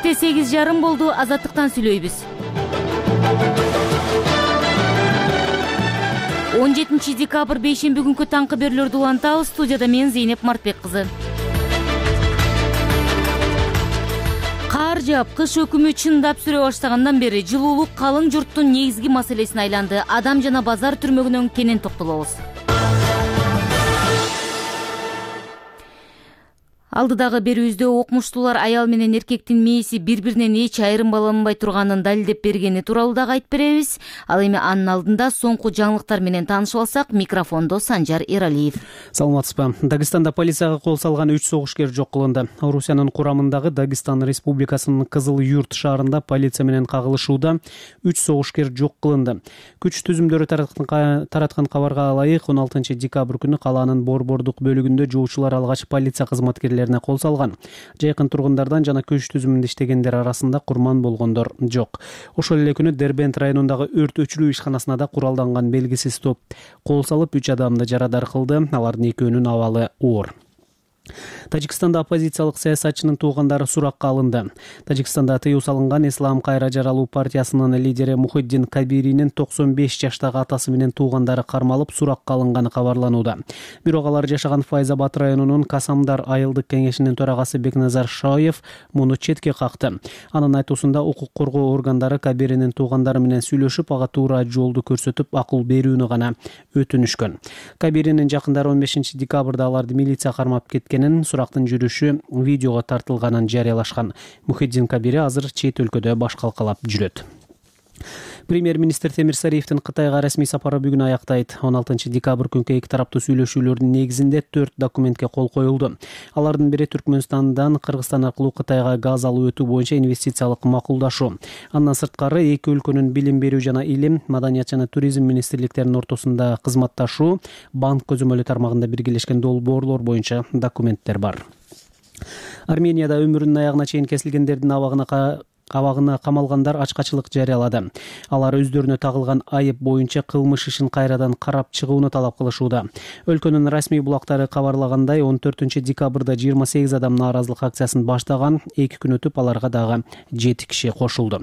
Кечте 8:30 болду. Азаттыктан сүйлөйбүз. 17 декабрь бейшемби күнкү таңкы берүүлөрдү улантабыз. Студияда мен Зейнеп Мартбек кызы. Кар жаап, кыш өкүмү чындап сүрө баштагандан бери жылуулук калың журттун негизги маселесине айланды. Адам жана базар түрмөгүнөн кенен токтолобуз. Алдыдагы берүүбүздө окумуштуулар аял менен эркектин мээси бири-биринен эч айырмаланбай турганын далилдеп бергени тууралуу дагы айтып беребиз. Ал эми анын алдында соңку жаңылыктар менен таанышып алсак, микрофондо Санжар Эралиев. Саламатсызбы. Дагыстанда полицияга кол салган 3 согушкер жок кылынды. Орусиянын курамындагы Дагыстан Республикасынын Кызыл Юрт шаарында полиция менен кагылышууда 3 согушкер жок кылынды. Күч түзүмдөрү тараткан кабарга ылайык 16 декабрь күнү калаанын борбордук бөлүгүндө жоочулар алгач полиция кызматкерлери кол салган. Жайкын тургундардан жана көч түзүмүндө иштегендер арасында курман болгондор жок. Ошол эле күнү Дербент районундагы өрт өчүрүү ишканасына да куралданган белгисиз топ кол салып 3 адамды жарадар кылды. Алардын экөөнүн абалы оор. Тажикстанда оппозициялык саясатчынын туугандары суракка алынды. Тажикстанда тыюу салынган Ислам кайра жаралуу партиясынын лидери Мухиддин Кабиринин 95 жаштагы атасы менен туугандары кармалып суракка алынганы кабарланууда. Бирок алар жашаган Файзабад районунун Касамдар айылдык кеңешинин төрагасы Бекназар Шоев муну четке какты. Анын айтуусунда укук коргоо органдары Кабиринин туугандары менен сүйлөшүп, ага туура жолду көрсөтүп, акыл берүүнү гана өтүнүшкөн. Кабиринин жакындары 15 декабрда аларды милиция кармап кеткен. Сурактын жүрүшү видеого тартылганын жарыялашкан. Мухиддин Кабири азыр чет өлкөдө баш калкалап жүрөт. Премьер-министр Темир Сариевдин Кытайга расмий сапары бүгүн аяктайт. 16 декабрь күнкү эки тараптуу сүйлөшүүлөрдүн негизинде 4 документке кол коюлду. Алардын бири Түркмөнстандан Кыргызстан аркылуу Кытайга газ алуу өтүү боюнча инвестициялык макулдашуу. Андан сырткары эки өлкөнүн билим берүү жана илим, маданият жана туризм министрликтеринин ортосунда кызматташуу, банк көзөмөлү тармагында биргелешкен долбоорлор боюнча документтер бар. Арменияда өмүрүнүн аягына чейин кесилгендердин абагына камалгандар ачкачылык жарыялады. Алар өздөрүнө тагылган айып боюнча кылмыш ишин кайрадан карап чыгууну талап кылышууда. Өлкөнүн расмий булактары кабарлагандай, 14 декабрда 28 адам нааразылык акциясын баштаган. 2 күн өтүп аларга дагы 7 киши кошулду.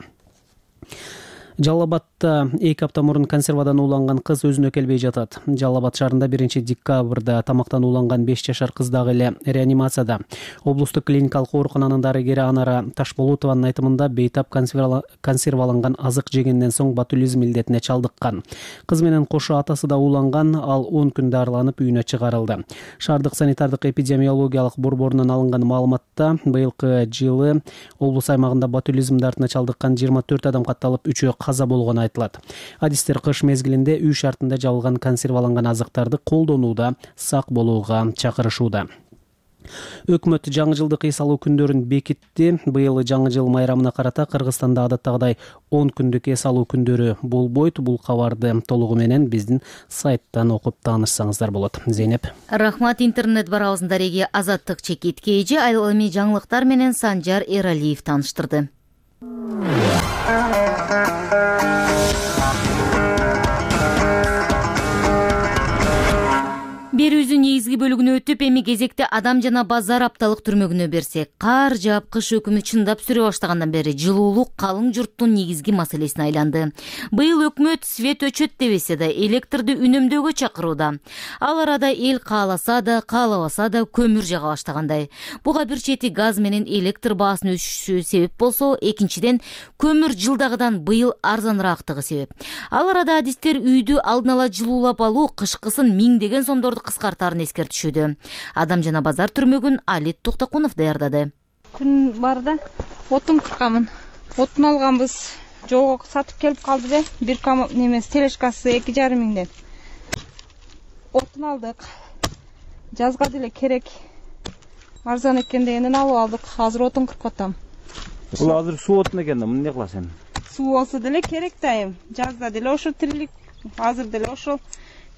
Жалал Абадта 2 апта мурун консервадан ууланган кыз өзүнө келбей жатат. Жалал Абад шаарында 1 декабрда тамактан ууланган 5 жашар кыз дагы эле реанимацияда. Облустук клиникалык оорукананын дарыгери Анара Ташболотованын айтымында бейтап консерваланган азык жегенден соң ботулизм илдетине чалдыккан. Кыз менен кошо атасы да ууланган, ал 10 күн дарыланып үйүнө чыгарылды. Шаардык санитардык эпидемиологиялык борборунан алынган маалыматта быйылкы жылы облус аймагында ботулизм дартына чалдыккан 24 адам катталып, 3-өө каза болгону айтылат. Адистер кыш мезгилинде үй шартында жабылган консерваланган азыктарды колдонууда сак болууга чакырышууда. Өкмөт жаңы жылдык эс алуу күндөрүн бекитти. Быйыл жаңы жыл майрамына карата Кыргызстанда адаттагыдай 10 күндүк эс алуу күндөрү болбойт. Бул кабарды толугу менен биздин сайттан окуп таанышсаңыздар болот. Зейнеп. Рахмат. Интернет барабыздын дареги Азаттык чекитке эже. Ал эми жаңылыктар менен Санжар Эралиев тааныштырды. Берүүбүздүн негизги бөлүгүнө өтүп, эми кезекте адам жана базар апталык түрмөгүнө берсек. Кар жаап, кыш өкүмү чындап сүрө баштагандан бери жылуулук калың журттун негизги маселесине айланды. Быйыл өкмөт свет өчөт дебесе да электрди үнөмдөөгө чакырууда. Ал арада эл кааласа да, каалабаса да көмүр жага баштагандай. Буга бир чети газ менен электр баасынын өсүшү себеп болсо, экинчиден көмүр жылдагыдан быйыл арзаныраактыгы себеп. Ал арада адистер үйдү алдын ала жылуулап алуу кышкысын миңдеген сомдорду кыскартаарын эскертишүүдө. Адам жана базар түрмөгүн Алит Токтокунов даярдады. Күн барда отун кыркамын. Отун алганбыз. Жолго сатып келип калды да, бир немес телешкасы 2,5 миңден. Отун алдык. Жазга деле керек. Арзан экен дегенден алып алдык. Азыр отун кырып атам. Бул азыр суу отун экен да, муну эмне кыласың? Суу болсо деле керек дайым. Жазда деле ошо тирилик, азыр деле ошол.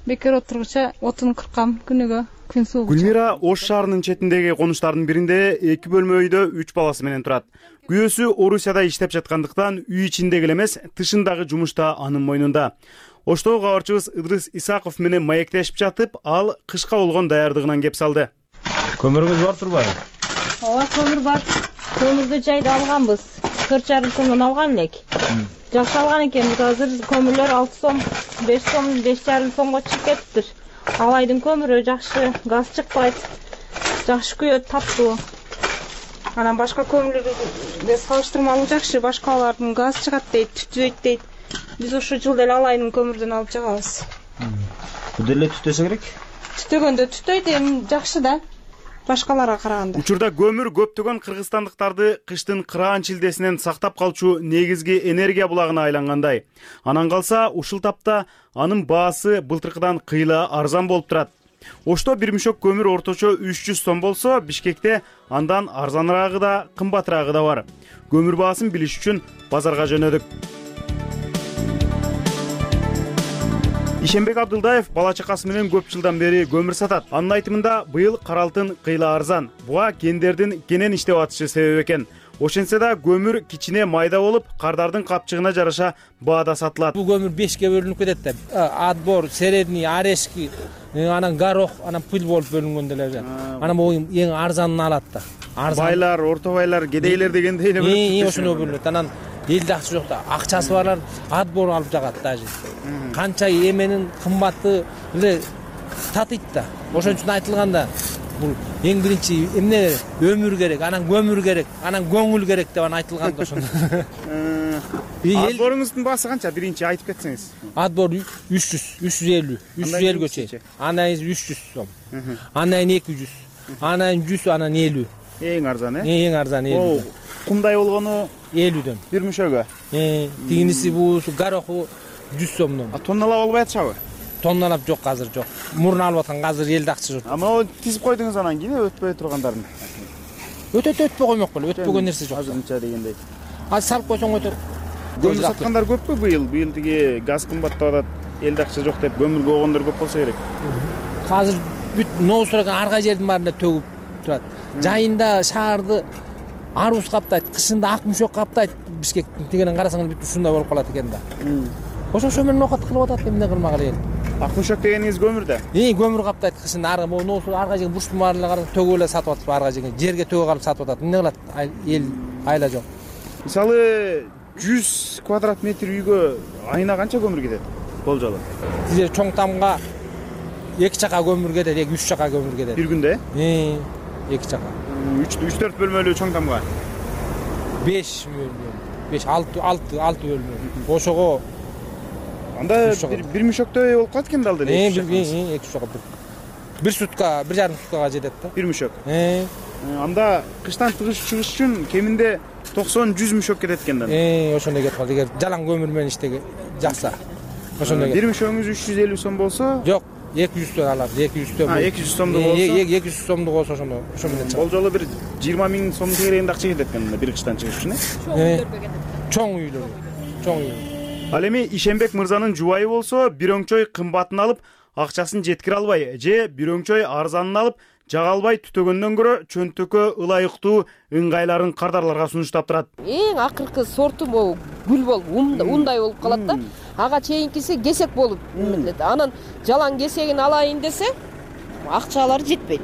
Бекер отургуча отун кыркам күнүгө, күн суугуча. Гүлмира Ош шаарынын четиндеги конуштардын биринде 2 бөлмө үйдө 3 баласы менен турат. Күйөөсү Орусияда иштеп жаткандыктан үй ичиндеги элемес, тышындагы жумуш да анын мойнунда. Оштогу кабарчыбыз Ыдрыс Исаков менен маектешип жатып, ал кышка болгон даярдыгынан кеп салды. Көмүрүңүз бар турбайбы? Ооба, көмүр бар. Көмүрдү жайда алганбыз. 4,5 сомдон алган элек. Жакшы алган экенбиз. Азыр көмүрлөр 6 сом, 5 сом, 5,5 сомго чыгып кетиптир. Алайдын көмүрү жакшы, газ чыкпайт. Жакшы күйөт, таптуу. Анан башка көмүрлөргө салыштырмалуу жакшы, башкалардын газ чыгат дейт, түтөйт дейт. Биз ошо жылда эле Алайдын көмүрдөн алып жагабыз. Бул деле түтөсө керек? Түтөгөндө түтөйт, эми жакшы да. Башкаларга караганда. Учурда көмүр көптөгөн кыргызстандыктарды кыштын кыраан чилдесинен сактап калчу негизги энергия булагына айлангандай. Анан калса ушул тапта анын баасы былтыркыдан кыйла арзан болуп турат. Ошто бир мешок көмүр орточо 300 сом болсо, Бишкекте андан арзаныраагы да, кымбатыраагы да бар. Көмүр баасын билиш үчүн базарга жөнөдүк. Ишенбек Абдылдаев бала чакасы менен көп жылдан бери көмүр сатат. Анын айтымында быйыл кара алтын кыйла арзан. Буга кендердин кенен иштеп атышы себеп экен. Ошентсе да көмүр кичине майда болуп, кардардын капчыгына жараша баада сатылат. Бул көмүр 5ке бөлүнүп кетет да. Отбор, средний, орешки, анан горох, анан пыль болуп бөлүнгөн деле. Анан бул эң арзанын алат да. Байлар, орто байлар, кедейлер дегендей эле бөлүнөт. Ошондой бөлүнөт. Анан элде акча жок да, акчасы барлар отбор алып жагат даже. Канча эменин кымбаты эле татыйт да. Ошон үчүн айтылганда бул эң биринчи эмне өмүр керек, анан көмүр керек, анан көңүл керек деп айтылган да ошондо. Отборуңуздун баасы канча? Биринчи айтып кетсеңиз. Отбор 350 чейин. Андан 300 сом. Андан 200. Андан 100, анан 50. Эң арзан, Эң арзан 50. Кумдай болгону 50дөн. Бир мешөгө. Тигиниси бул гороху 100 сомдон. Тонналап албай атышабы? Тонналап жок, азыр жок. Мурун алып аткан, азыр элде акча жок. Ама тизип койдуңуз анан кийин өтпөй тургандарын. Өтпөй коймок беле, өтпөгөн нерсе жок. Азырынча дегендей. Азыр салып койсоң өтөт. Көмүр саткандар көппү быйыл? Быйыл тиги газ кымбаттап атат, элде акча жок деп көмүргө койгондор көп болсо керек. Азыр бүт ноосураган ар кай жердин баарында төгүп турат. Жайында шаарды арбуз каптайт, кышында ак мüşөк каптайт. Бишкектин тигинен карасаң бүт ушундай болуп калат экен да. Ошо менен окат кылып атат, эмне кылмак эле. Ак мüşөк дегениңиз көмүр да? Көмүр каптайт кышында, ар кай жерге бурчтун баарына карап төгүп эле сатып атат, ар кай жерге төгүп алып сатып атат. Эмне кылат? Эл айла жок. Мисалы 100 квадрат метр үйгө айына канча көмүр кетет? Болжолу. Тизе чоң тамга 2 чака көмүр кетет, 3 чака көмүр кетет. Бир күндө? 2 чака. 3-4 бөлмөлүү чоң тамга. 5 6 бөлмө. Ошого анда бир мüşөктөй болуп калат экен да алды эле. 2 чака. Бир сутка, 1,5 суткага жетет да. Бир мüşөк. Анда кыштан чыгыш үчүн кеминде 90-100 мüşөк кетет экен да. Ошондой кетип калды. Эгер жалаң көмүр менен иштеге жакса. Ошондой. Бир мüşөгүңүз 350 сом болсо? Жок, 200 алат, 200 сом. 200 сомдук болсо? 200 сомдук болсо ошондо менен чыгат. Болжолу бир 20 миң сом тегерегинде акча кетет экен бир кыштан чыгыш үчүн, Чоң үйлөр. Чоң үй. Ал эми Ишенбек мырзанын жубайы болсо, бир өңчөй кымбатын алып, акчасын жеткире албай, же бир өңчөй арзанын алып, жага албай түтөгөндөн көрө чөнтөккө ылайыктуу ыңгайларын кардарларга сунуштап турат. Эң акыркы сорту могу гүл болуп, ундай болуп калат да. Ага чейинкиси кесек болуп эмелет. Анан жалаң кесегин алайын десе, акчалары жетпейт.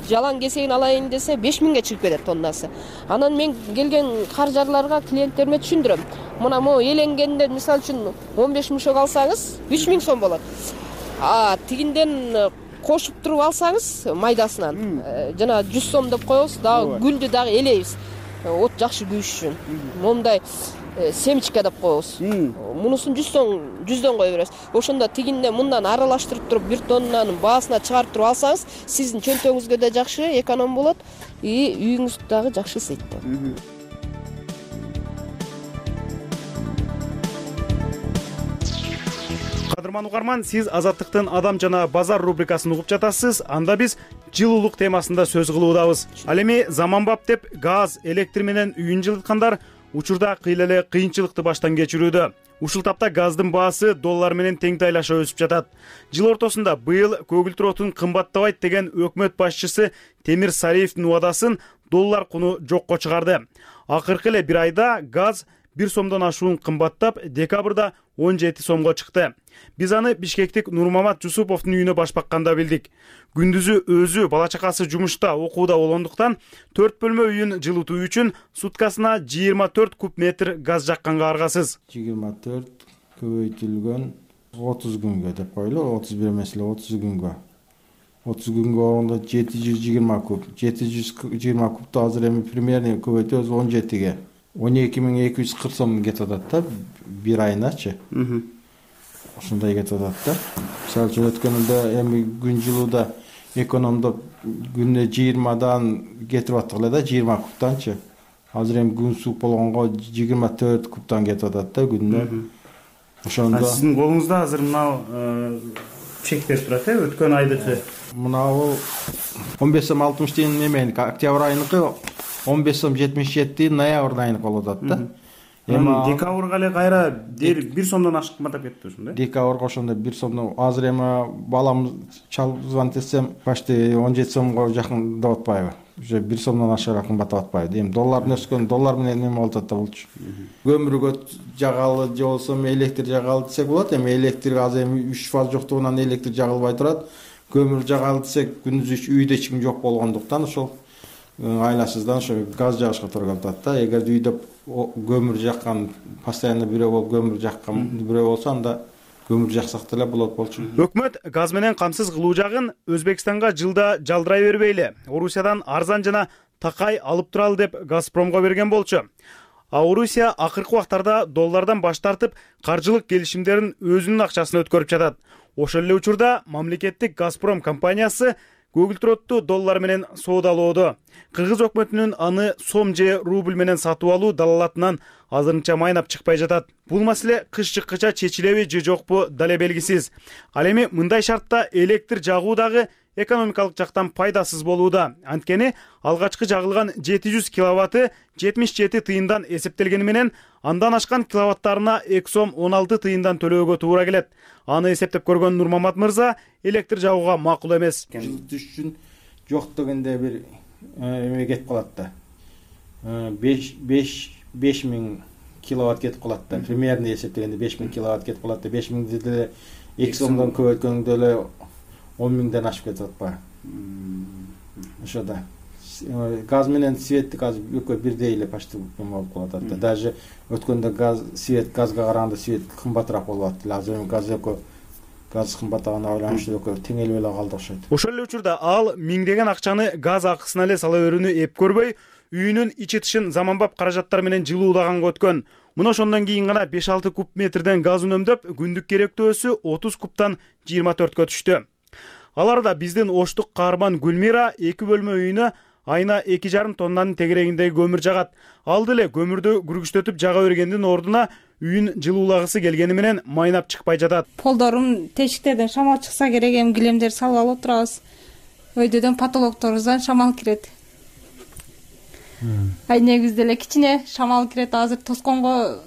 Жалаң кесегин алайын десе 5000ге чыгып кетет тоннасы. Анан мен келген каржарларга, клиенттериме түшүндүрөм. Мына могу эленгенден мисалы үчүн 15 мüşөк алсаңыз 3000 сом болот. Тигинден кошуп туруп алсаңыз майдасынан жана 100 сом деп коебуз, дагы гүлдү дагы элейбиз. От жакшы күйүш үчүн. Момундай семечка деп коебуз. Мунусун 100дөн кое беребиз. Ошондо тигинде мындан аралаштырып туруп 1 тоннанын баасына чыгарып туруп алсаңыз, сиздин чөнтөгүңүзгө да жакшы эконом болот, үйүңүз дагы жакшы ысыйт. Кадырман угарман, сиз Азаттыктын Адам жана базар рубрикасын угуп жатасыз. Анда биз жылуулук темасында сөз кылуудабыз. Ал эми заманбап деп газ, электр менен үйүн жылыткандар учурда кыйла эле кыйынчылыкты баштан кечирүүдө. Ушул тапта газдын баасы доллар менен тең тайлаша өсүп жатат. Жыл ортосунда быйыл көгүлтүр отун кымбаттабайт деген өкмөт башчысы Темир Сариевдин убадасын доллар куну жокко чыгарды. Акыркы эле бир айда газ 1 сомдон ашуун кымбаттап, декабрда 17 сомго чыкты. Биз аны Бишкектик Нурмамат Жусуповдун үйүнө баш бакканда билдик. Күндүзү өзү бала чакасы жумушта, окууда болгондуктан 4 бөлмө үйүн жылытуу үчүн суткасына 24 куб метр газ жакканга аргасыз. 24 көбөйтүлгөн 30 күнгө деп койлу, 31 эмес эле 30 күнгө. 30 күнгө орунда 720 куб. 720 кубду азыр эми примерно көбөйтөбүз 17ге. 12240 сом кетип атат да бир айыначы. Ушундай кетип атат да. Мисалы үчүн өткөндө эми күн жылууда экономдоп күнүнө 20дан кетип аттык эле да, 20 кубтанчы. Азыр эми күн суук болгонго 24 кубтан кетип атат да күнүнө. Ошондо сиздин колуңузда азыр мына чектер турат, өткөн айдыкы. Мынабу 15 сом 60 тиын неменики, октябрь айыныкы 15 сом 77 ноябрь айыныкы болуп атат да. Эми декабрга эле кайра 1 сомдон ашык кымбаттап кетти ушундай. Декабрга ошондо 1 сомдон, азыр эми балам звонить этсем почти 17 сомго жакындап атпайбы? Уже 1 сомдон ашыгыраак кымбаттап атпайбы? Эми доллардын өскөн, доллар менен неме болуп атат да болчу. Көмүргө жагалы же болсо электр жагалы десек болот. Эми электр азыр эми 3 фаз жоктугунан электр жагылбай турат. Көмүр жагалы десек күндүз үйдө эч ким жок болгондуктан ошол айласыздан ошо газ жагышка туура келип атат да. Эгер үйдө көмүр жаккан, постоянно бирөө болуп көмүр жаккан бирөө болсо, анда көмүр жаксак деле болот болчу. Өкмөт газ менен камсыз кылуу жагын Өзбекстанга жылда жалдырай бербейли. Орусиядан арзан жана такай алып туралы деп Газпромго берген болчу. А Орусия акыркы убактарда доллардан баш тартып, каржылык келишимдерин өзүнүн акчасына өткөрүп жатат. Ошол эле учурда мамлекеттик Газпром компаниясы көгүлтүрөттү доллар менен соодалоодо. Кыргыз өкмөтүнүн аны сом же рубль менен сатып алуу далалатынан азырынча майнап чыкпай жатат. Бул маселе кыш чыккыча чечилеби же жокпу дале белгисиз. Ал эми мындай шартта электр жагуу дагы экономикалык жактан пайдасыз болууда. Анткени алгачкы жагылган 700 киловатты 77 тыйындан эсептелгени менен андан ашкан киловаттарына 2 сом 16 тыйындан төлөөгө туура келет. Аны эсептеп көргөн Нурмамат мырза электр жагууга макул эмес. Жылытыш үчүн жок дегенде бир эме кетип калат да. 5000 киловатт кетип калат да. Примерно эсептегенде 5000 киловатт кетип калат да. 5000 деле 2 сомдон көбөйткөндө эле 10 миңден ашып кетип атпайбы? Ошо да. Газ менен светтик азыр экөө бирдей эле почти болуп калат да. Даже өткөндө газга караганда свет кымбатыраак болуп атты. Азыр эми газ кымбаттаганына байланыштуу экөө теңелип эле калды окшойт. Ошол эле учурда ал миңдеген акчаны газ акысына эле сала берүүнү эп көрбөй, үйүнүн ичи тышын заманбап каражаттар менен жылуулаганга өткөн. Мына ошондон кийин гана 5-6 куб метрден газ үнөмдөп, күндүк керектөөсү 30 кубтан 24кө түштү. Аларда биздин Оштук каарман Гүлмира 2 бөлмө үйүнө айына 2,5 тоннанын тегерегиндеги көмүр жагат. Ал деле көмүрдү күргүчтөтүп жага бергендин ордуна үйүн жылуулагысы келгени менен майнап чыкпай жатат. Полдорум тешиктерден шамал чыкса керек, эми килемдерди салып алып отурабыз. Өйдөдөн потолокторубуздан шамал кирет. Негизде деле кичине шамал кирет, азыр тосконго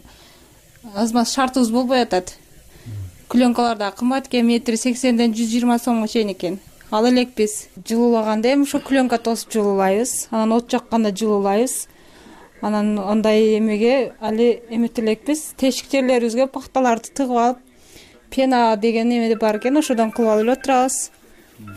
азмаз шартыбыз болбой атат. Клёнкалар да кымбат экен, метри 80ден 120 сомго чейин экен. Ал элек биз жылуулаганда эми ошо клёнка тосуп жылуулайбыз, анан от жакканда жылуулайбыз. Анан андай эмеге али эметип элекпиз. Тешик жерлерибизге пахталарды тыгып алып, пена деген эме бар экен, ошодон кылып алып отурабыз.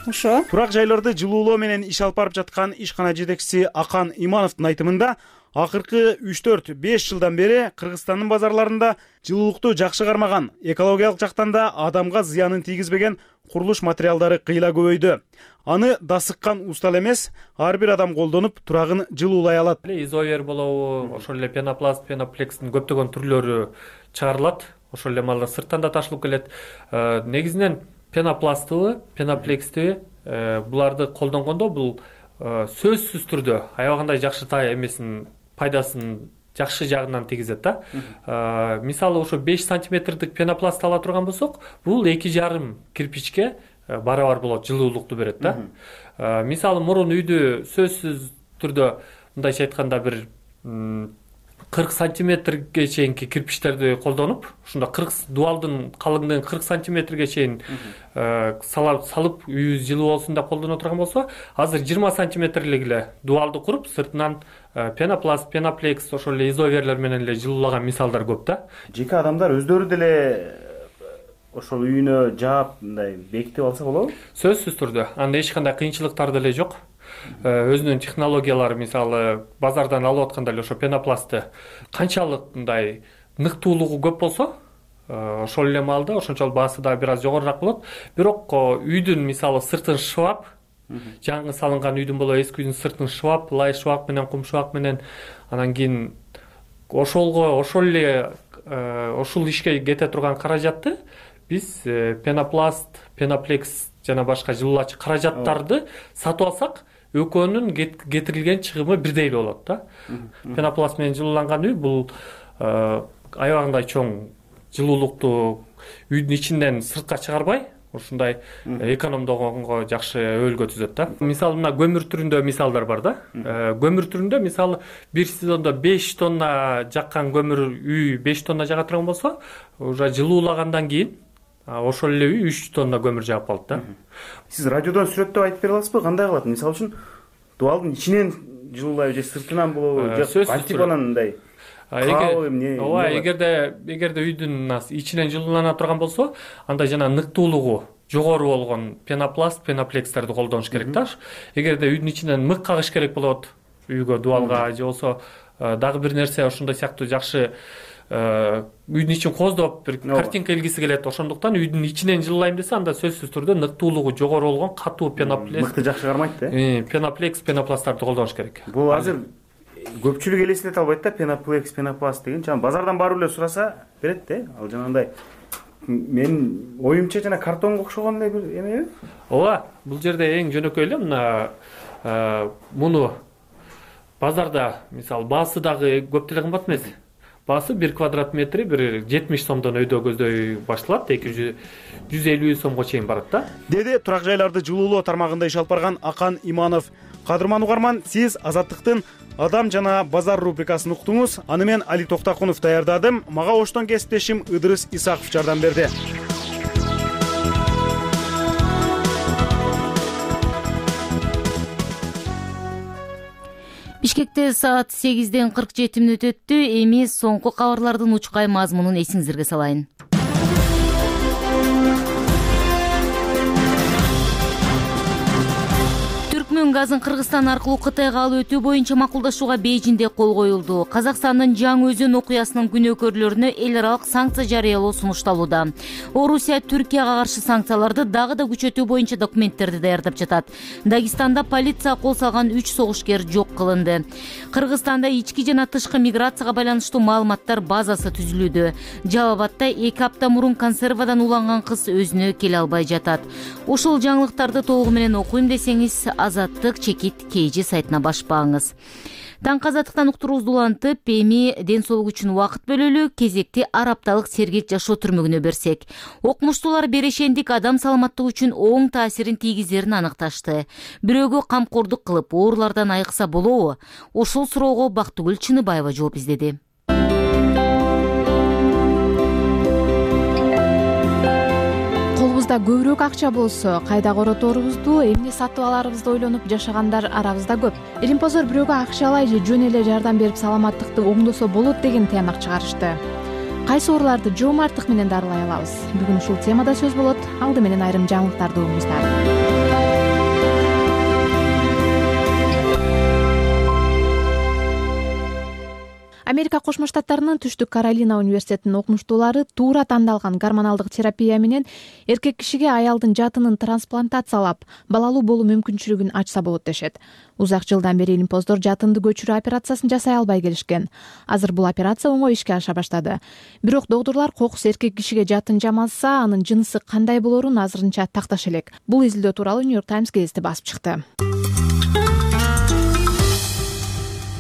Ошо. Турак жайларды жылуулоо менен иш алып барып жаткан ишкана жетекчиси Акан Имановдун айтымында, акыркы 3-4-5 жылдан бери Кыргызстандын базарларында жылуулукту жакшы кармаган, экологиялык жактан да адамга зыянын тийгизбеген курулуш материалдары кыйла көбөйдү. Аны дасыккан устал эмес, ар бир адам колдонуп турагын жылуулай алат. Изовер болобу, ошол эле пенопласт, пеноплекстин көптөгөн түрлөрү чыгарылат. Ошол эле малда сырттан да ташылып келет. Негизинен пенопластыбы, пеноплекстиби буларды колдонгондо бул сөзсүз түрдө аябагандай жакшы эмесин пайдасын жакшы жагынан тийгизет да. Мисалы ошо 5 сантиметрдик пенопласт ала турган болсок, бул 2,5 кирпичке барабар болот, жылуулукту берет да. Мисалы мурун үйдү сөзсүз түрдө мындайча айтканда бир 40 сантиметрге чейинки кирпичтерди колдонуп, ушунда дубалдын калыңдыгын 40 сантиметрге чейин салып үйүбүз жылуу болсун деп колдоно турган болсо, азыр 20 сантиметрлик эле дубалды куруп, сыртынан пенопласт, пеноплекс, ошол эле изоверлер менен эле жылуулаган мисалдар көп да. Жеке адамдар өздөрү деле ошол үйүнө жаап мындай бекитип алса болобу? Сөзсүз түрдө. Анда эч кандай кыйынчылыктар деле жок. Өзүнүн технологиялары, мисалы базардан алып атканда эле ошо пенопластты канчалык мындай ныктуулугу көп болсо, ошол эле маалда ошончолук баасы да бир аз жогорураак болот. Бирок үйдүн мисалы сыртын шыбап, жаңы салынган үйдүн болобу, эски үйдүн сыртын шыбап, лай шыбак менен, кум шыбак менен, анан кийин ошол ишке кете турган каражатты биз пенопласт, пеноплекс жана башка жылуулачу каражаттарды сатып алсак, экөөнүн кетирилген чыгымы бирдей эле болот да. Пенопласт менен жылууланган үй бул аябагандай чоң жылуулукту үйдүн ичинден сыртка чыгарбай, ушундай экономдогонго жакшы өбөлгө түзөт да. Мисалы мына көмүр түрүндө мисалдар бар да. Көмүр түрүндө мисалы бир сезондо 5 тонна жаккан көмүр үй 5 тонна жага турган болсо, уже жылуулагандан кийин ошол эле үй 3 тонна көмүр жаап калат да. Сиз радиодон сүрөттөп айтып бере аласызбы, кандай кылат? Мисалы үчүн дубалдын ичинен жылуулайбы же сыртынан болобу, же кантипанан мындай? Ооба, эгерде үйдүн ичинен жылуулана турган болсо, анда жана ныктуулугу жогору болгон пенопласт, пеноплекстерди колдонуш керек да. Эгерде үйдүн ичинен мык кагыш керек болот үйгө, дубалга же болсо дагы бир нерсе ошондой сыяктуу жакшы үйдүн ичин кооздоп бир картинка илгиси келет. Ошондуктан үйдүн ичинен жылуулайм десе, анда сөзсүз түрдө ныктуулугу жогору болгон катуу пеноплекс, мыкты жакшы кармайт да. Пеноплекс, пенопласттарды колдонуш керек. Бул азыр көпчүлүк элестете албайт да, пеноплекс, пенопласт деген. Жана базардан барып эле сураса берет да. Ал жанагындай мен оюмча жана картонго окшогон эле бир эмеби? Ооба, бул жерде эң жөнөкөй эле мына муну базарда мисалы баасы дагы көп деле кымбат эмес. Баасы 1 квадрат метри бир 70 сомдон өйдө көздөй башталат, 150 сомго чейин барат да. Деди турак жайларды жылуулоо тармагында иш алып барган Акан Иманов. Кадырман угарман, сиз Азаттыктын Адам жана базар рубрикасын уктуңуз. Аны мен Али Токтакунов даярдадым. Мага оштон кесиптешим Ыдырыс Исаков жардам берди. Бишкекте саат 8:47 өттү. Эми соңку кабарлардын учкай мазмунун эсиңизерге салайын. Түркмөн газын Кыргызстан аркылуу Кытайга алып өтүү боюнча макулдашууга Бейжиңде кол коюлду. Казакстандын Жаңы Өзөн окуясынын күнөөкөрлөрүнө эл аралык санкция жарыялоо сунушталууда. Орусия Түркияга каршы санкцияларды дагы да күчөтүү боюнча документтерди даярдап жатат. Дагестанда полиция кол салган 3 согушкер жок кылынды. Кыргызстанда ички жана тышкы миграцияга байланыштуу маалыматтар базасы түзүлүүдө. Жалал Абадда 2 апта мурун консервадан уланган кыз өзүнө келе албай жатат. Ушул жаңылыктарды толугу менен окуйм десеңиз, Азаттык чекит KG сайтына башпаңыз. Таңкы азаттыктан уктуруубузду улантып, эми ден соолук үчүн убакыт бөлөлү, кезекти ар апталык сергек жашоо түрмөгүнө берсек. Окумуштуулар берешендик адам саламаттыгы үчүн оң таасирин тийгизерин аныкташты. Бирөөгө камкордук кылып, оорулардан айыкса болобу? Ошол суроого Бактыгүл Чыныбаева жооп издеди. Колубузда көбүрөөк акча болсо, кайда короторубузду, эмне сатып аларыбызды ойлонуп жашагандар арабызда көп. Илимпоздор бирөөгө акчалай же жөн эле жардам берип саламаттыкты оңдосо болот деген тыянак чыгарышты. Кайсы ооруларды жоомарттык менен дарылай алабыз? Бүгүн ушул темада сөз болот. Алды менен айрым жаңылыктарды угуңуздар. Америка Кошмо Штаттарынын Түштүк Каролина университетинин окумуштуулары туура тандалган гормоналдык терапия менен эркек кишиге аялдын жатынын трансплантациялап, балалуу болуу мүмкүнчүлүгүн ачса болот дешет. Узак жылдан бери илимпоздор жатынды көчүрүү операциясын жасай албай келишкен. Азыр бул операция оңой ишке аша баштады. Бирок доктурлар кокус эркек кишиге жатын жамалса, анын жынысы кандай болорун азырынча такташ элек. Бул изилдөө тууралуу New York Times гезити басып чыкты.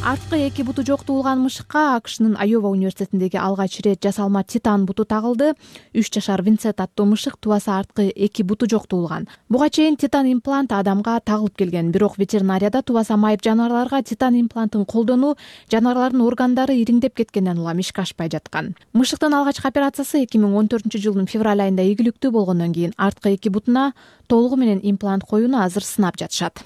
Арткы эки буту жок туулган мышыкка АКШнын Айова университетиндеги алгач ирет жасалма титан буту тагылды. 3 жашар Винсент аттуу мышык тубаса арткы эки буту жок туулган. Буга чейин титан имплант адамга тагылып келген, бирок ветеринарияда тубаса майып жаныбарларга титан имплантын колдонуу жаныбарлардын органдары ириңдеп кеткенден улам ишке ашпай жаткан. Мышыктын алгачкы операциясы 2014-жылдын февраль айында ийгиликтүү болгондон кийин арткы эки бутуна толугу менен имплант коюуну азыр сынап жатышат.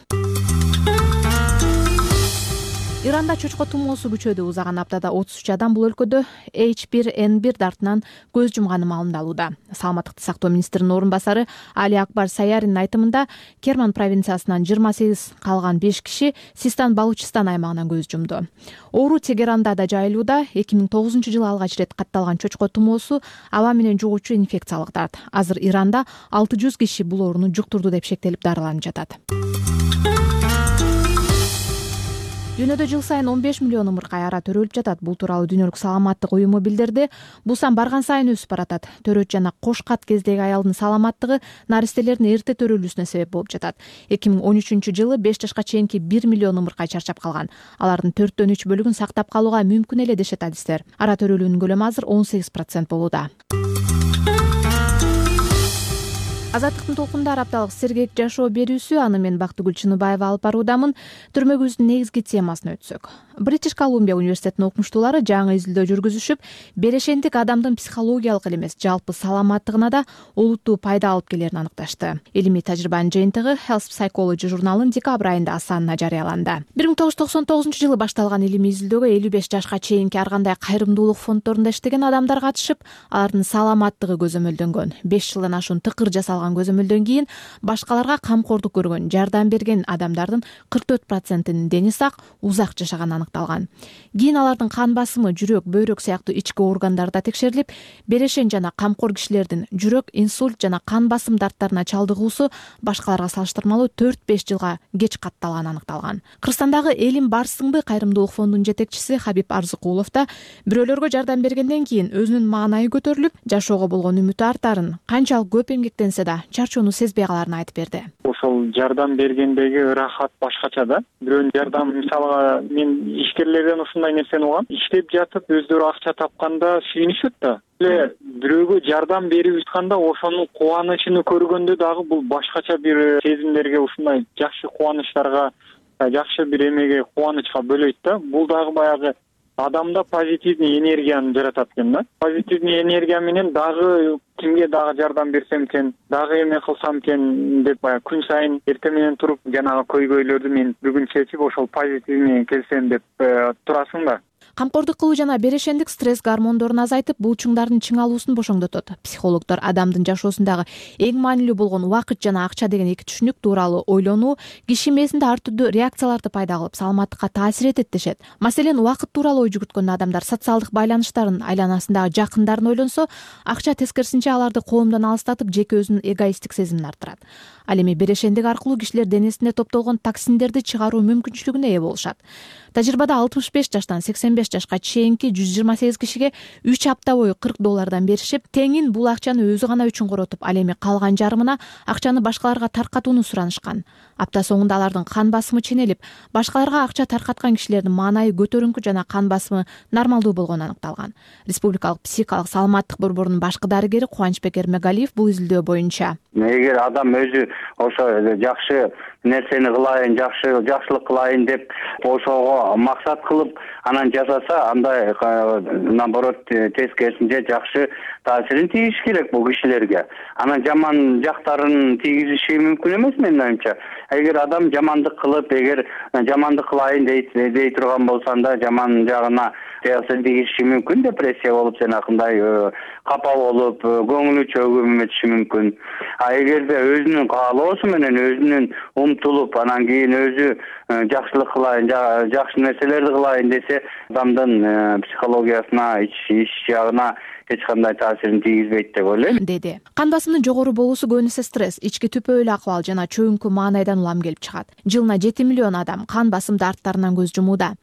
Иранда чочко тумоосу күчөдү. Узаган аптада 33 адам бул өлкөдө H1N1 дартынан көз жумганы маалымдалууда. Саламаттыкты сактоо министринин орун басары Али Акбар Саяринин айтымында Керман провинциясынан 28 калган 5 киши Систан Балучистан аймагынан көз жумду. Оору Тегеранда да жайылууда. 2009-жылы алгач ирет катталган чочко тумоосу аба менен жугуучу инфекциялык дарт. Азыр Иранда 600 киши бул ооруну жуктурду деп шектелип дарыланып жатат. Дүйнөдө жыл сайын 15 миллион ымыркай ара төрөлүп жатат. Бул тууралуу Дүйнөлүк саламаттык уюму билдирди. Бул сан барган сайын өсүп баратат. Төрөт жана кош кат кездеги аялдын саламаттыгы наристелердин эрте төрөлүүсүнө себеп болуп жатат. 2013-жылы 5 жашка чейинки 1 миллион ымыркай чарчап калган. Алардын 4/3 бөлүгүн сактап калууга мүмкүн эле дешет адистер. Ара төрөлүүнүн көлөмү азыр 18% болууда. Азаттыктын толкундары апталык сергек жашоо берүүсү аны мен Бактыгүл Чыныбаева алып баруудамын. Түрмөгүбүздүн негизги темасына өтсөк. Бритиш Колумбия университетинин окумуштуулары жаңы изилдөө жүргүзүшүп, берешендик адамдын психологиялык эле эмес, жалпы саламаттыгына да олуттуу пайда алып келерин аныкташты. Илимий тажрыйбанын жыйынтыгы Health Psychology журналынын декабрь айында санына жарыяланды. 1999-жылы башталган илимий изилдөөгө 55 жашка чейинки ар кандай кайрымдуулук фонддорунда иштеген адамдар катышып, алардын саламаттыгы көзөмөлдөнгөн. 5 жылдан ашуун тыкыр жасалган көзөмөлдөн кийин башкаларга камкордук көргөн, жардам берген адамдардын 44%-нин дени сак, узак жашаганы аныкталган. Кийин алардын кан басымы, жүрөк, бөйрөк сыяктуу ички органдары да текшерилип, берешен жана камкор кишилердин жүрөк, инсульт жана кан басым дарттарына чалдыгуусу башкаларга салыштырмалуу 4-5 жылга кеч катталганы аныкталган. Кыргызстандагы Элим Барсыңбы кайрымдуулук фондунун жетекчиси Хабиб Арзыкулов да бирөөлөргө жардам бергенден кийин өзүнүн маанайы көтөрүлүп, жашоого болгон үмүтү артарын, канчалык көп эмгектенсе да чарчоону сезбей каларын айтып берди. Ошол жардам бергендеги ырахат башкача да. Бирөөнүн жардам, мисалга мен ишкерлерден ушундай нерсени угам. Иштеп жатып өздөрү акча тапканда сүйүнүшөт да. Бирөөгө жардам берип жатканда ошонун кубанычын көргөндө дагы бул башкача бир сезимдерге, ушундай жакшы кубанычтарга, жакшы бир эмеге, кубанычка бөлөйт да. Бул дагы баягы адамда позитивный энергияны жаратат экен да. Позитивный энергия менен дагы кимге дагы жардам берсем экен, дагы эме кылсам экен деп баягы күн сайын эртең менен туруп жанагы көйгөйлөрдү мен бүгүн чечип ошол позитивный келсем деп турасың да. Камкордук кылуу жана берешендик стресс гормондорун азайтып, булчуңдардын чыңалуусун бошоңдотот. Психологдор адамдын жашоосундагы эң маанилүү болгон убакыт жана акча деген эки түшүнүк тууралуу ойлонуу киши мээсинде ар түрдүү реакцияларды пайда кылып, саламаттыкка таасир этет дешет. Маселен, убакыт тууралуу ой жүгүрткөндө адамдар социалдык байланыштарын, айланасындагы жакындарын ойлонсо, акча тескерисинче аларды коомдон алыстатып, жеке өзүнүн эгоисттик сезимин арттырат. Ал эми берешендик аркылуу кишилер денесинде топтолгон токсиндерди чыгаруу мүмкүнчүлүгүнө ээ болушат. Тажрыйбада 65 жаштан 85 жашка чейинки 128 кишиге 3 апта бою $40 беришип, теңин бул акчаны өзү гана үчүн коротуп, ал эми калган жарымына акчаны башкаларга таркатууну суранышкан. Апта соңунда алардын кан басымы ченелип, башкаларга акча таркаткан кишилердин маанайы көтөрүңкү жана кан басымы нормалдуу болгону аныкталган. Республикалык психикалык саламаттык борборунун башкы дарыгери Кубанычбек Эрмегалиев бул изилдөө боюнча: эгер адам өзү ошо жакшы нерсени кылайын, жакшылык кылайын деп ошого максат кылып анан жасаса, андай наоборот тескерисинче жакшы таасирин тийиш керек бул кишилерге. Анан жаман жактарын тийгизиши мүмкүн эмес менин оюмча. Эгер адам жамандык кылып, эгер жамандык кылайын дей турган болсо, анда жаман жагына таасир тийгизиши мүмкүн, депрессия болуп, жанакындай капа болуп, көңүлү чөгүп мүмкүн. А эгерде өзүнүн каалоосу менен өзүнүн умтулуп, анан кийин өзү жакшылык кылайын, жакшы нерселерди кылайын десе, адамдын психологиясына, ич жагына эч кандай таасирин тийгизбейт деп ойлойм, деди. Кан басымдын жогору болуусу көбүнесе стресс, ички түпөөлүү акыбал жана чөйүнкү маанайдан улам келип чыгат. Жылына 7 миллион адам кан басымды арттарынан көз жумууда.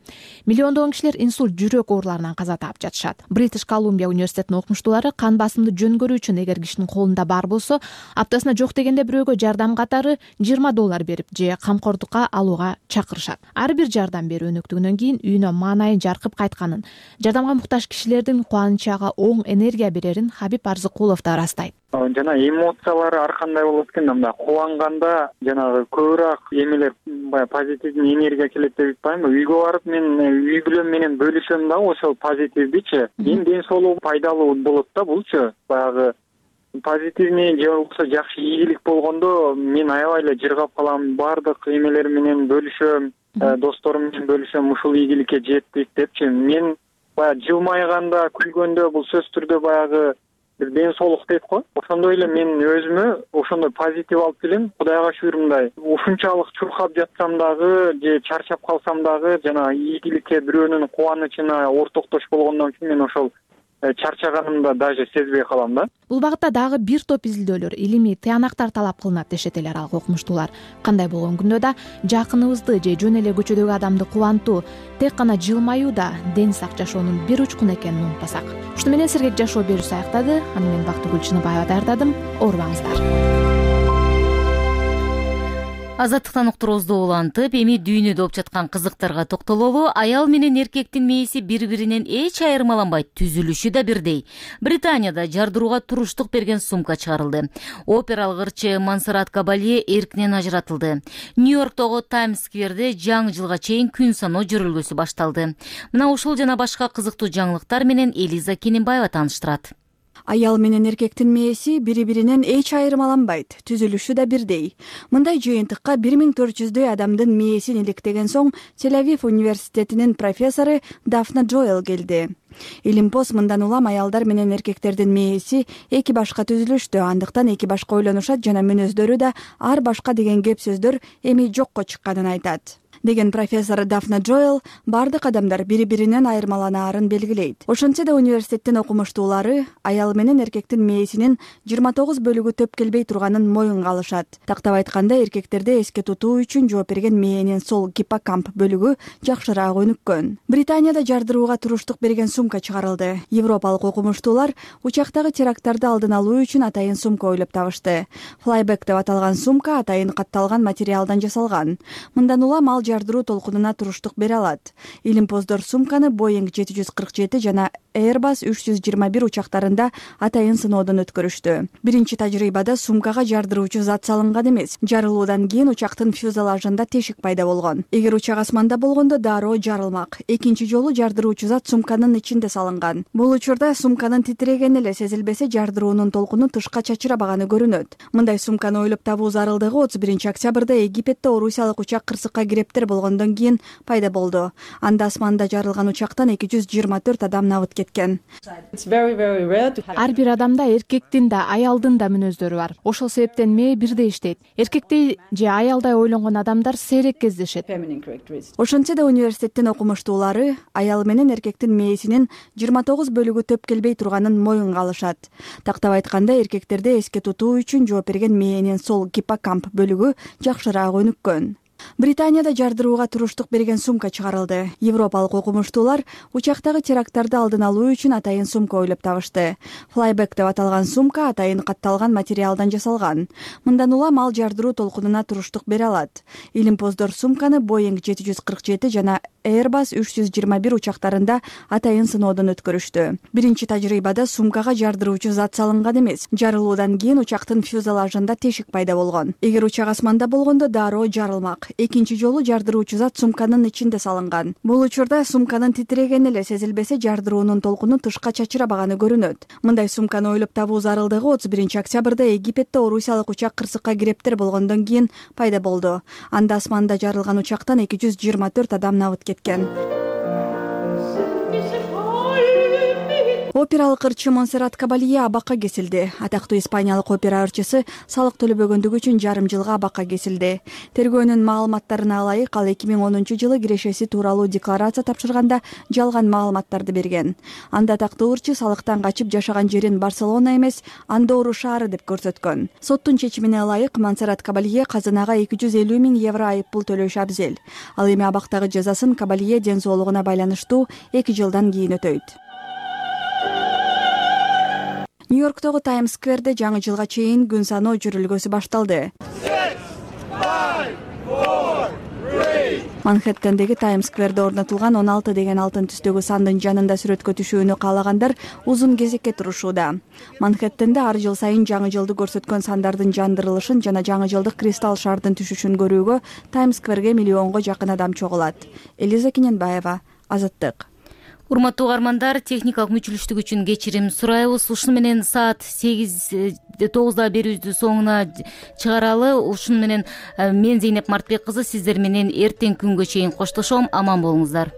Миллиондогон кишилер инсульт, жүрөк ооруларынан каза таап жатышат. Бритиш Колумбия университетинин окумуштуулары кан басымды жөн көрүү үчүн эгер кишинин колунда бар болсо, аптасына жок дегенде бирөөгө жардам катары $20 берип же камкордукка алууга чакырышат. Ар бир жардам берүү өнөктүгүнөн кийин үйүнө маанайын жаркып кайтканын, жардамга муктаж кишилердин кубанычы ага оң энергия берерин Хабиб Арзыкулов да ырастайт. Жана эмоциялары ар кандай болот экен, мындай кубанганда жанагы көбүрөөк эмелер, баягы позитивдүү энергия келет деп айтпаймынбы. Үйгө барып мен үй бүлөм менен бөлүшөм дагы ошол позитивдичи. Эми ден соолугу пайдалуу болот да булчу. Баягы позитивный же болбосо жакшы ийгилик болгондо мен аябай эле жыргап калам, баардык эмелер менен бөлүшөм, досторум менен бөлүшөм, ушул ийгиликке жеттик депчи. Мен баягы жылмайганда, күлгөндө бул сөзсүз түрдө баягы бир ден соолук дейт го. Ошондой эле мен өзүмө ошондой позитив алып келем. Кудайга шүгүр, мындай ушунчалык чуркап жатсам дагы же чарчап калсам дагы жана ийгиликке, бирөөнүн кубанычына ортоктош болгондон кийин мен ошол чарчаганымда даже сезбей калам да. Бул багытта дагы бир топ изилдөөлөр, илимий тыянактар талап кылынат дешет эл аралык окумуштуулар. Кандай болгон күндө да жакыныбызды же жөн эле көчөдөгү адамды кубантуу, тек гана жылмаюу да ден сак жашоонун бир учкуну экенин унутпасак. Ушуну менен сергек жашоо берүүсү аяктады. Аны мен Бактыгүл Чыныбаева даярдадым. Оорубаңыздар. Азаттыктан уктуруубузду улантып, эми дүйнөдө болуп жаткан кызыктарга токтололу. Аял менен эркектин мээси бири-биринен эч айырмаланбайт, түзүлүшү да бирдей. Британияда жардырууга туруштук берген сумка чыгарылды. Опералык ырчы Монсеррат Кабалье эркинен ажыратылды. Нью-Йорктогу Таймс скверде жаңы жылга чейин күн саноо жөрөлгөсү башталды. Мына ушул жана башка кызыктуу жаңылыктар менен Элиза Кененбаева тааныштырат. Аял менен эркектин мээси бири-биринен эч айырмаланбайт, түзүлүшү да бирдей. Мындай жыйынтыкка 1400 адамдын мээсин иликтеген соң Тель-Авив университетинин профессору Дафна Джоэл келди. Илимпоз мындан улам аялдар менен эркектердин мээси эки башка түзүлүштү, андыктан эки башка ойлонушат жана мүнөздөрү да ар башка деген кеп сөздөр эми жокко чыкканын айтат деген профессор Дафна Джоэл бардык адамдар бири-биринен айырмаланаарын белгилейт. Ошентсе да университеттин окумуштуулары аял менен эркектин мээсинин 29 бөлүгү төп келбей турганын моюнга алышат. Тактап айтканда, эркектерде эске тутуу үчүн жооп берген мээнин сол гиппокамп бөлүгү жакшыраак өнүккөн. Британияда жардырууга туруштук берген сумка чыгарылды. Европалык окумуштуулар учактагы теракттарды алдын алуу үчүн атайын сумка ойлоп табышты. Flyback деп аталган сумка атайын катталган материалдан жасалган. Мындан улам ал жардыруу толкунуна туруштук бере алат. Илимпоздор сумканы Boeing 747 жана Airbus 321 учактарында атайын сыноодон өткөрүштү. Биринчи тажрыйбада сумкага жардыруучу зат салынган эмес. Жарылуудан кийин учактын фюзелажында тешик пайда болгон. Эгер учак асманда болгондо дароо жарылмак. Экинчи жолу жардыруучу зат сумканын ичинде салынган. Бул учурда сумканын титирегени эле сезилбесе, жардыруунун толкуну тышка чачырабаганы көрүнөт. Мындай сумканы ойлоп табуу зарылдыгы 31 октябрда Египетте орусиялык учак кырсыкка кирептер болгондон кийин пайда болду. Анда асманда жарылган учактан 224 адам набыт кеткен. Ар бир адамда эркектин да, аялдын да мүнөздөрү бар. Ошол себептен мээ бирдей иштейт. Эркектей же аялдай ойлонгон адамдар сейрек кездешет. Ошентсе да университеттин окумуштуулары аял менен эркектин мээсинин 29 бөлүгү төп келбей турганын моюнга алышат. Тактап айтканда, эркектерде эске тутуу үчүн жооп берген мээнин сол гиппокамп бөлүгү жакшыраак өнүккөн. Британияда жардырууга туруштук берген сумка чыгарылды. Европалык окумуштуулар учактагы теракттарды алдын алуу үчүн атайын сумка ойлоп табышты. Flyback деп аталган сумка атайын катталган материалдан жасалган. Мындан улам ал жардыруу толкунуна туруштук бере алат. Илимпоздор сумканы Boeing 747 жана Airbus 321 учактарында атайын сыноодон өткөрүштү. Биринчи тажрыйбада сумкага жардыруучу зат салынган эмес. Жарылуудан кийин учактын фюзелажында тешик пайда болгон. Эгер учак асманда болгондо дароо жарылмак. Экинчи жолу жардыруучу зат сумканын ичинде салынган. Бул учурда сумканын титирегени эле сезилбесе, жардыруунун толкуну тышка чачырабаганы көрүнөт. Мындай сумканы ойлоп табуу зарылдыгы 31 октябрда Египетте орусиялык учак кырсыкка кирептер болгондон кийин пайда болду. Анда асманда жарылган учактан 224 адам набыт кеткен. Опералык ырчы Монсеррат Кабалье абакка кесилди. Атактуу испаниялык опера ырчысы салык төлөбөгөндүгү үчүн жарым жылга абакка кесилди. Тергөөнүн маалыматтарына ылайык, ал 2010 кирешеси тууралуу декларация тапшырганда жалган маалыматтарды берген. Анда атактуу ырчы салыктан качып жашаган жерин Барселона эмес, Андору шаары деп көрсөткөн. Соттун чечимине ылайык Монсеррат Кабалье казынага 250 000 евро айып пул төлөшү абзел. Ал эми абактагы жазасын Кабалье ден соолугуна байланыштуу 2 жылдан кийин өтөйт. Нью-Йорктогу Таймс-скверде жаңы жылга чейин күн саноо жүрүлгөсү башталды. Манхэттендеги Таймс-скверде орнотулган 16 деген алтын түстөгү сандын жанында сүрөткө түшүүнү каалагандар узун кезекке турушууда. Манхэттенде ар жыл сайын жаңы жылды көрсөткөн сандардын жандырылышын жана жаңы жылдык кристалл шардын түшүшүн көрүүгө Таймс-скверге миллионго жакын адам чогулат. Элиза Кененбаева, Азаттык. Урматтуу угармандар, техникалык мүчүлүштүк үчүн кечирим сурайбыз. Ушуну менен саат 8-9 берүүбүздү соңуна чыгаралы. Ушуну менен мен Зейнеп Мартбек кызы сиздер менен эртең күнгө чейин коштошом. Аман болуңуздар.